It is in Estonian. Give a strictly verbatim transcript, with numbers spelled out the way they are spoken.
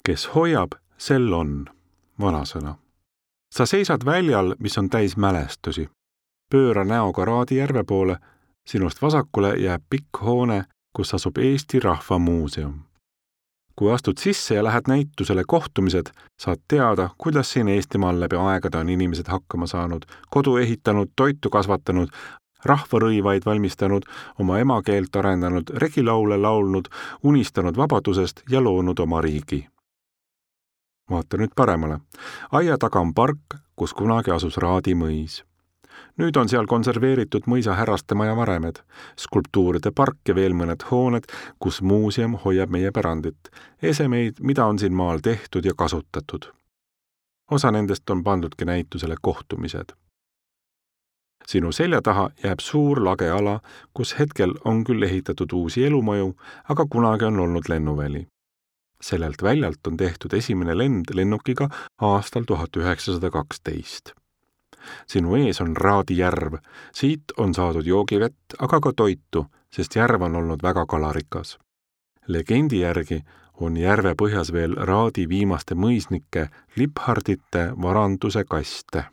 Kes hoiab, sel on, vanasõna. Sa seisad väljal, mis on täis mälestusi. Pööra näoga Raadijärve poole, sinust vasakule jääb pikk hoone, kus asub Eesti Rahva Muuseum. Kui astud sisse ja lähed näitusele kohtumised, saad teada, kuidas siin Eestimaal läbi aegade on inimesed hakkama saanud, kodu ehitanud, toitu kasvatanud, rahvarõivaid valmistanud, oma emakeelt arendanud, regilaule laulnud, unistanud vabadusest ja loonud oma riigi. Vaata nüüd paremale. Aia taga on park, kus kunagi asus Raadi mõis. Nüüd on seal konserveeritud mõisa härrastemaja varemed, skulptuuride park ja veel mõned hooned, kus muuseum hoiab meie pärandit, esemeid, mida on siin maal tehtud ja kasutatud. Osa nendest on pandudki näitusele kohtumised. Sinu selja taha jääb suur lage ala, kus hetkel on küll ehitatud uusi elumaju, aga kunagi on olnud lennuväli. Sellelt väljalt on tehtud esimene lend lennukiga aastal tuhat üheksasada kaksteist. Sinu ees on Raadijärv. Siit on saadud joogivett, aga ka toitu, sest järv on olnud väga kalarikas. Legendi järgi on järve põhjas veel Raadi viimaste mõisnike Liphardite varanduse kaste.